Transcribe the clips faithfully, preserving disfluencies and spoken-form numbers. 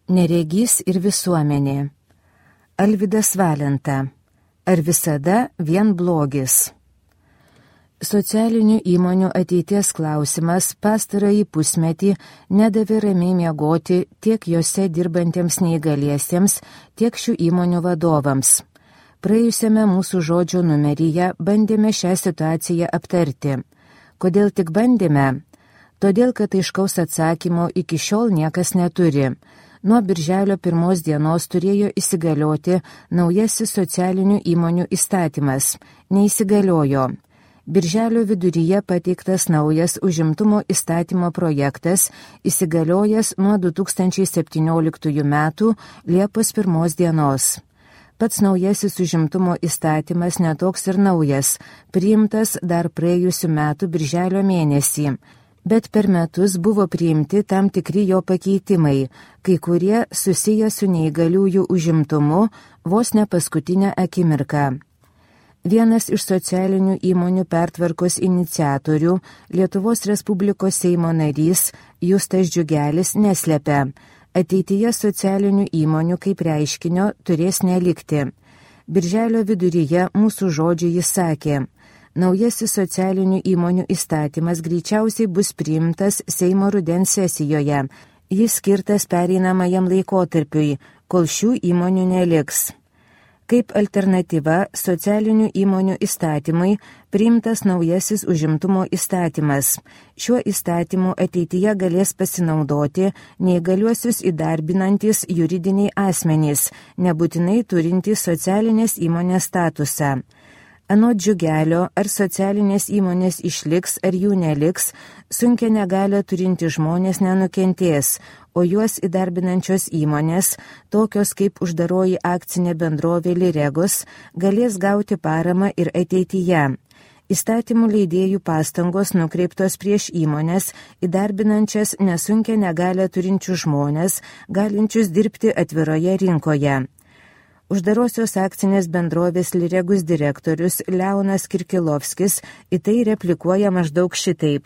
Neregys ir visuomenė. Alvydas Valenta. Ar visada vien blogis? Socialinių įmonių ateities klausimas pastarąjį pusmetį nedavė ramiai miegoti tiek jose dirbantiems neįgaliesiems, tiek šių įmonių vadovams. Praėjusiame mūsų žodžio numeryje bandėme šią situaciją aptarti. Kodėl tik bandėme? Todėl, kad aiškaus atsakymo iki šiol niekas neturi. Nuo birželio pirmos dienos turėjo įsigalioti naujasis socialinių įmonių įstatymas. Neįsigaliojo. Birželio viduryje pateiktas naujas užimtumo įstatymo projektas, įsigaliojęs nuo du tūkstančiai septynioliktųjų metų Liepos pirmos dienos. Pats naujasis užimtumo įstatymas netoks ir naujas, priimtas dar praėjusių metų birželio mėnesį. Bet per metus buvo priimti tam tikri jo pakeitimai, kai kurie susiję su neįgaliųjų užimtumu vos ne paskutinę akimirką. Vienas iš socialinių įmonių pertvarkos iniciatorių, Lietuvos Respublikos Seimo narys Justas Džiugelis neslepia, ateityje socialinių įmonių kaip reiškinio turės nelikti. Birželio viduryje mūsų žodžiu jis sakė: naujasis socialinių įmonių įstatymas greičiausiai bus priimtas Seimo rudens sesijoje. Jis skirtas pereinamajam laikotarpiui, kol šių įmonių neliks. Kaip alternatyva socialinių įmonių įstatymui priimtas naujasis užimtumo įstatymas. Šiuo įstatymu ateityje galės pasinaudoti neįgaliuosius įdarbinantis juridiniai asmenys, nebūtinai turintys socialinės įmonės statusą. Anot Džiugelio, ar socialinės įmonės išliks, ar jų neliks, sunkia negalią turinti žmonės nenukentės, o juos įdarbinančios įmonės, tokios kaip uždaroji akcinė bendrovė Liregos, galės gauti paramą ir ateityje. Įstatymų leidėjų pastangos nukreiptos prieš įmonės, įdarbinančias nesunkia negalią turinčių žmonės, galinčius dirbti atviroje rinkoje. Uždarosios akcinės bendrovės Liregus direktorius Leonas Kirkilovskis į tai replikuoja maždaug šitaip.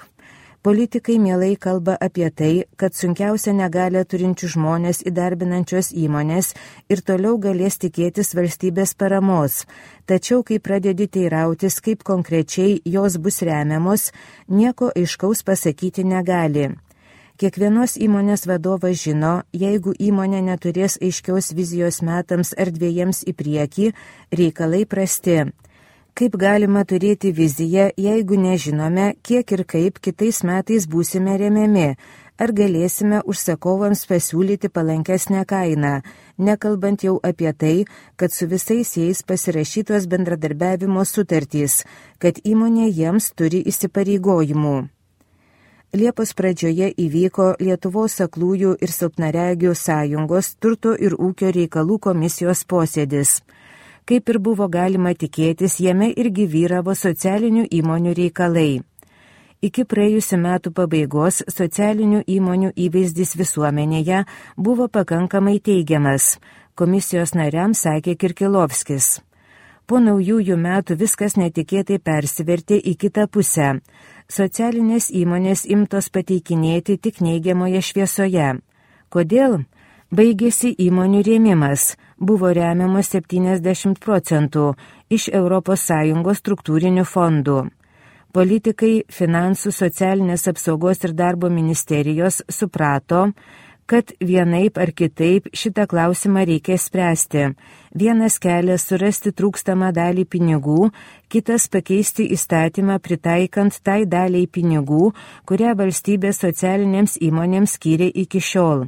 Politikai mielai kalba apie tai, kad sunkiausia negalią turinčių žmonės įdarbinančios įmonės ir toliau galės tikėtis valstybės paramos. Tačiau, kai pradedi teirautis, kaip konkrečiai jos bus remiamos, nieko aiškaus pasakyti negali. Kiekvienos įmonės vadovas žino, jeigu įmonė neturės aiškios vizijos metams ar dviejiems į priekį, reikalai prasti. Kaip galima turėti viziją, jeigu nežinome, kiek ir kaip kitais metais būsime remiami, ar galėsime užsakovams pasiūlyti palankesnę kainą, nekalbant jau apie tai, kad su visais jais pasirašytos bendradarbiavimo sutartys, kad įmonė jiems turi įsipareigojimų. Liepos pradžioje įvyko Lietuvos aklųjų ir silpnaregių sąjungos turto ir ūkio reikalų komisijos posėdis. Kaip ir buvo galima tikėtis, jame irgi vyravo socialinių įmonių reikalai. Iki praėjusių metų pabaigos socialinių įmonių įvaizdis visuomenėje buvo pakankamai teigiamas, komisijos nariams sakė Kirkilovskis. Po naujųjų metų viskas netikėtai persivertė į kitą pusę. Socialinės įmonės imtos pateikinėti tik neigiamoje šviesoje. Kodėl? Baigėsi įmonių rėmimas, buvo remiamas septyniasdešimt procentų iš Europos Sąjungos struktūrinių fondų. Politikai, finansų, socialinės apsaugos ir darbo ministerijos suprato, kad vienaip ar kitaip šitą klausimą reikia spręsti. Vienas kelias surasti trūkstamą dalį pinigų, kitas pakeisti įstatymą pritaikant tai daliai pinigų, kurią valstybė socialinėms įmonėms skyrė iki šiol.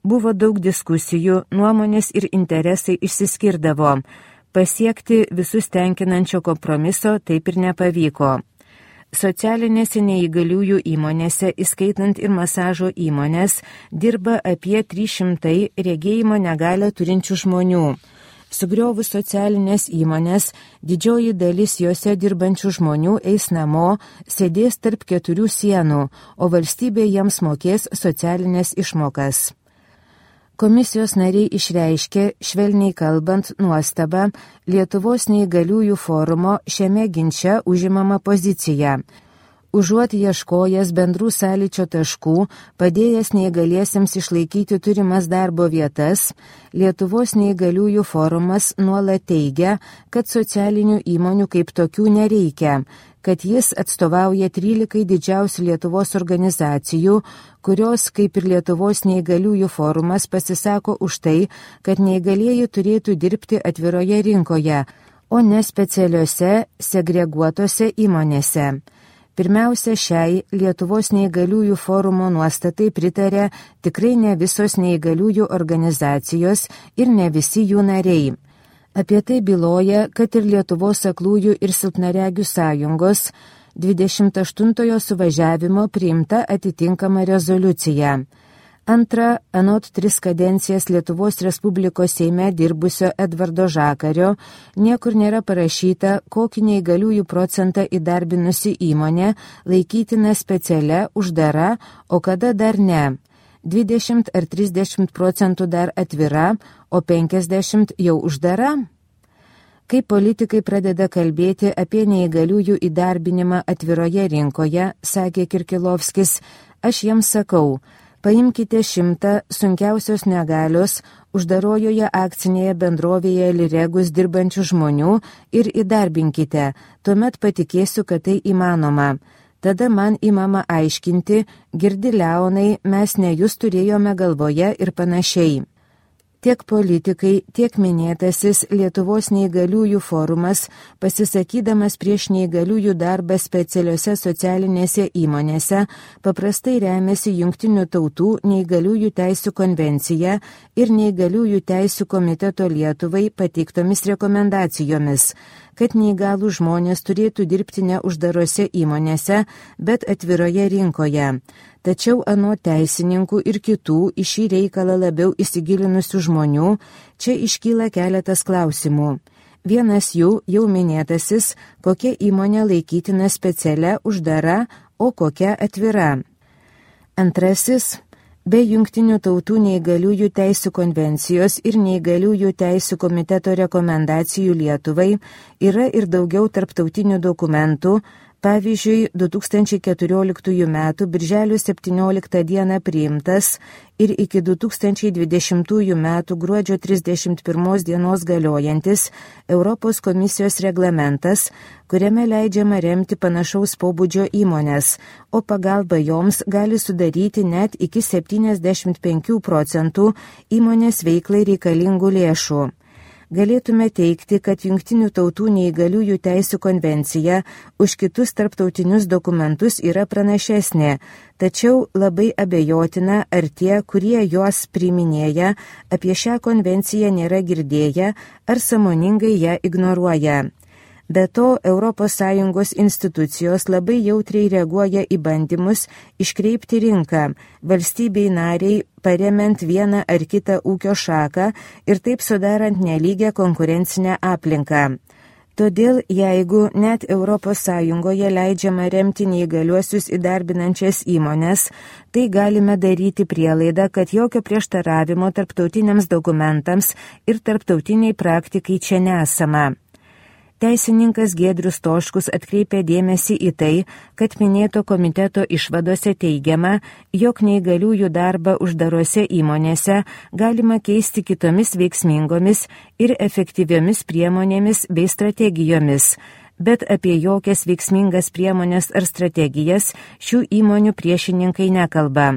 Buvo daug diskusijų, nuomonės ir interesai išsiskirdavo. Pasiekti visus tenkinančio kompromiso taip ir nepavyko. Socialinėse neįgaliųjų įmonėse, įskaitant ir masažo įmonės, dirba apie trys šimtai regėjimo negalią turinčių žmonių. Sugriovus socialinės įmonės, didžioji dalis jose dirbančių žmonių eis namo, sėdės tarp keturių sienų, o valstybė jiems mokės socialinės išmokas. Komisijos nariai išreiškė, švelniai kalbant, nuostabą Lietuvos neįgaliųjų forumo šiame ginče užimama pozicija. Užuot ieškojęs bendrų sąlyčio taškų, padėjęs neįgaliesiems išlaikyti turimas darbo vietas, Lietuvos neįgaliųjų forumas nuolat teigia, kad socialinių įmonių kaip tokių nereikia, kad jis atstovauja trylikai didžiausių Lietuvos organizacijų, kurios, kaip ir Lietuvos neįgaliųjų forumas, pasisako už tai, kad neįgalieji turėtų dirbti atviroje rinkoje, o ne specialiuose, segreguotose įmonėse. Pirmiausia, šiai Lietuvos neįgaliųjų forumo nuostatai pritarė tikrai ne visos neįgaliųjų organizacijos ir ne visi jų nariai. Apie tai byloja, kad ir Lietuvos aklųjų ir silpnaregių sąjungos dvidešimt aštuntojo suvažiavimo priimta atitinkama rezoliucija. Antra, anot tris kadencijas Lietuvos Respublikos Seime dirbusio Edvardo Žakario, niekur nėra parašyta, kokį neįgaliųjų procentą įdarbinusi įmonė laikytina specialia, uždara, o kada dar ne. dvidešimt ar trisdešimt procentų dar atvira, o penkiasdešimt jau uždara? Kai politikai pradeda kalbėti apie neįgaliųjų įdarbinimą atviroje rinkoje, sakė Kirkilovskis, aš jiems sakau, paimkite šimtą sunkiausios negalios uždarojoje akcinėje bendrovėje Liregus dirbančių žmonių ir įdarbinkite, tuomet patikėsiu, kad tai įmanoma. Tada man įmama aiškinti, girdi Leonai, mes ne jūs turėjome galvoje ir panašiai. Tiek politikai, tiek minėtasis Lietuvos neįgaliųjų forumas, pasisakydamas prieš neįgaliųjų darbą specialiose socialinėse įmonėse, paprastai remiasi Jungtinių tautų neįgaliųjų teisių konvencija ir neįgaliųjų teisių komiteto Lietuvai pateiktomis rekomendacijomis, kad neįgalų žmonės turėtų dirbti ne uždarose įmonėse, bet atviroje rinkoje. Tačiau anot teisininkų ir kitų į šį reikalą labiau įsigilinusių žmonių, čia iškyla keletas klausimų. Vienas jų jau minėtasis, kokia įmonė laikytina specialia, uždara, o kokia atvira. Antrasis, be Jungtinių tautų neįgaliųjų teisių konvencijos ir neįgaliųjų teisių komiteto rekomendacijų Lietuvai yra ir daugiau tarptautinių dokumentų. Pavyzdžiui, du tūkstančiai keturioliktųjų metų birželio septynioliktą dieną priimtas ir iki du tūkstančiai dvidešimtųjų metų gruodžio trisdešimt pirmos dienos galiojantis Europos komisijos reglamentas, kuriame leidžiama remti panašaus pobūdžio įmonės, o pagalba joms gali sudaryti net iki septyniasdešimt penkių procentų įmonės veiklai reikalingų lėšų. Galėtume teikti, kad Jungtinių tautų neįgaliųjų teisių konvencija už kitus tarptautinius dokumentus yra pranašesnė, tačiau labai abejotina, ar tie, kurie juos priiminėja, apie šią konvenciją nėra girdėję ar sąmoningai ją ignoruoja. Be to, Europos Sąjungos institucijos labai jautriai reaguoja į bandymus iškreipti rinką, valstybei nariai paremiant vieną ar kitą ūkio šaką ir taip sudarant nelygę konkurencinę aplinką. Todėl, jeigu net Europos Sąjungoje leidžiama remti neįgaliuosius įdarbinančias įmonės, tai galime daryti prielaidą, kad jokio prieštaravimo tarptautiniams dokumentams ir tarptautiniai praktikai čia nesama. Teisininkas Giedrius Stoškus atkreipė dėmesį į tai, kad minėto komiteto išvadose teigiama, jog neįgaliųjų darbą uždarose įmonėse galima keisti kitomis veiksmingomis ir efektyviomis priemonėmis bei strategijomis, bet apie jokias veiksmingas priemonės ar strategijas šių įmonių priešininkai nekalba.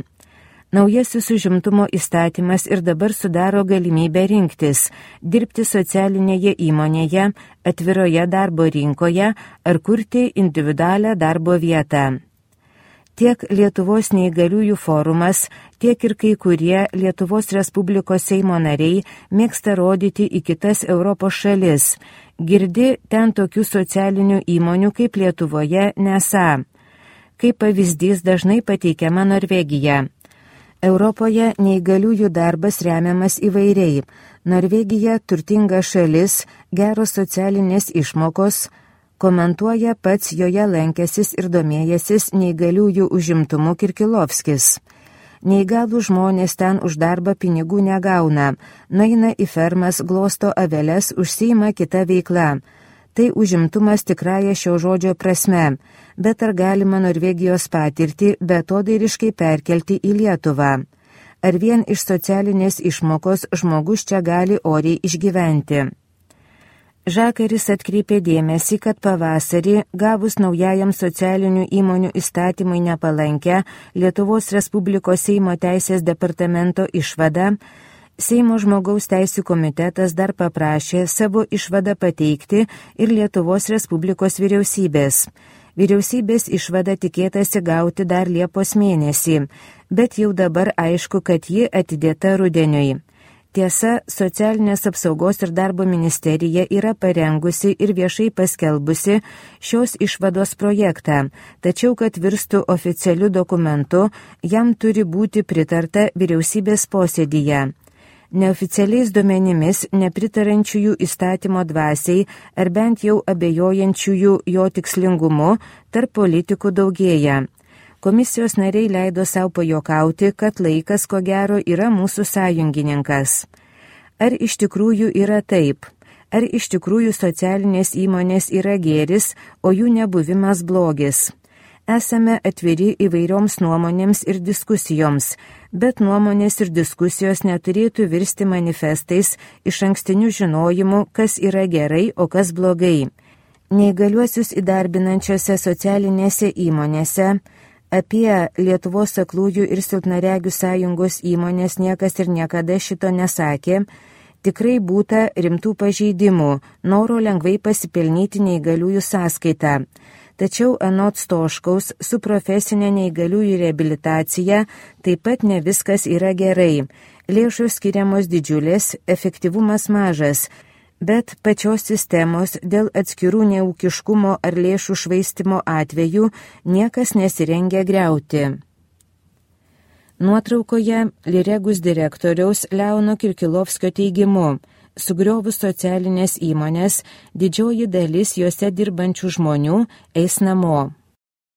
Naujasis užimtumo įstatymas ir dabar sudaro galimybę rinktis, dirbti socialinėje įmonėje, atviroje darbo rinkoje ar kurti individualią darbo vietą. Tiek Lietuvos neįgaliųjų forumas, tiek ir kai kurie Lietuvos Respublikos Seimo nariai mėgsta rodyti į kitas Europos šalis. Girdi ten tokių socialinių įmonių kaip Lietuvoje nesą. Kaip pavyzdys dažnai pateikiama Norvegija. Europoje neįgaliųjų darbas remiamas įvairiai. Norvegija turtinga šalis, geros socialinės išmokos, komentuoja pats joje lankęsis ir domėjęsis neįgaliųjų užimtumu Kirkilovskis. Neįgalų žmonės ten už darbą pinigų negauna, nueina į fermas, glosto aveles, užsiima kita veikla. Tai užimtumas tikrąja šio žodžio prasme, bet ar galima Norvegijos patirtį beatodairiškai perkelti į Lietuvą? Ar vien iš socialinės išmokos žmogus čia gali oriai išgyventi? Žakaris atkreipė dėmesį, kad pavasarį, gavus naujajam socialinių įmonių įstatymui nepalankę Lietuvos Respublikos Seimo teisės departamento išvadą, Seimo žmogaus teisių komitetas dar paprašė savo išvadą pateikti ir Lietuvos Respublikos vyriausybės. Vyriausybės išvada tikėtasi gauti dar Liepos mėnesį, bet jau dabar aišku, kad ji atidėta rudeniui. Tiesa, Socialinės apsaugos ir darbo ministerija yra parengusi ir viešai paskelbusi šios išvados projektą, tačiau kad virstų oficialiu dokumentu, jam turi būti pritarta vyriausybės posėdyje. Neoficialiais duomenimis nepritarančiųjų įstatymo dvasiai ar bent jau abejojančiųjų jo tikslingumu tarp politikų daugėja. Komisijos nariai leido savo pajokauti, kad laikas ko gero yra mūsų sąjungininkas. Ar iš tikrųjų yra taip? Ar iš tikrųjų socialinės įmonės yra gėris, o jų nebuvimas blogis? Esame atviri įvairioms nuomonėms ir diskusijoms, bet nuomonės ir diskusijos neturėtų virsti manifestais iš ankstinių žinojimų, kas yra gerai, o kas blogai. Neįgaliuosius įdarbinančiose socialinėse įmonėse apie Lietuvos aklųjų ir silpnaregių sąjungos įmonės niekas ir niekada šito nesakė. Tikrai būta rimtų pažeidimų, noro lengvai pasipelnyti neįgaliųjų sąskaitą. Tačiau anot Stoškaus su profesinė neįgaliųjų reabilitacija taip pat ne viskas yra gerai. Lėšos skiriamos didžiulės, efektyvumas mažas, bet pačios sistemos dėl atskirų neūkiškumo ar lėšų švaistimo atvejų niekas nesirengia griauti. Nuotraukoje Liregus direktoriaus Leono Kirkilovskio teigimu, sugriovus socialinės įmonės, didžioji dalis juose dirbančių žmonių eis namo.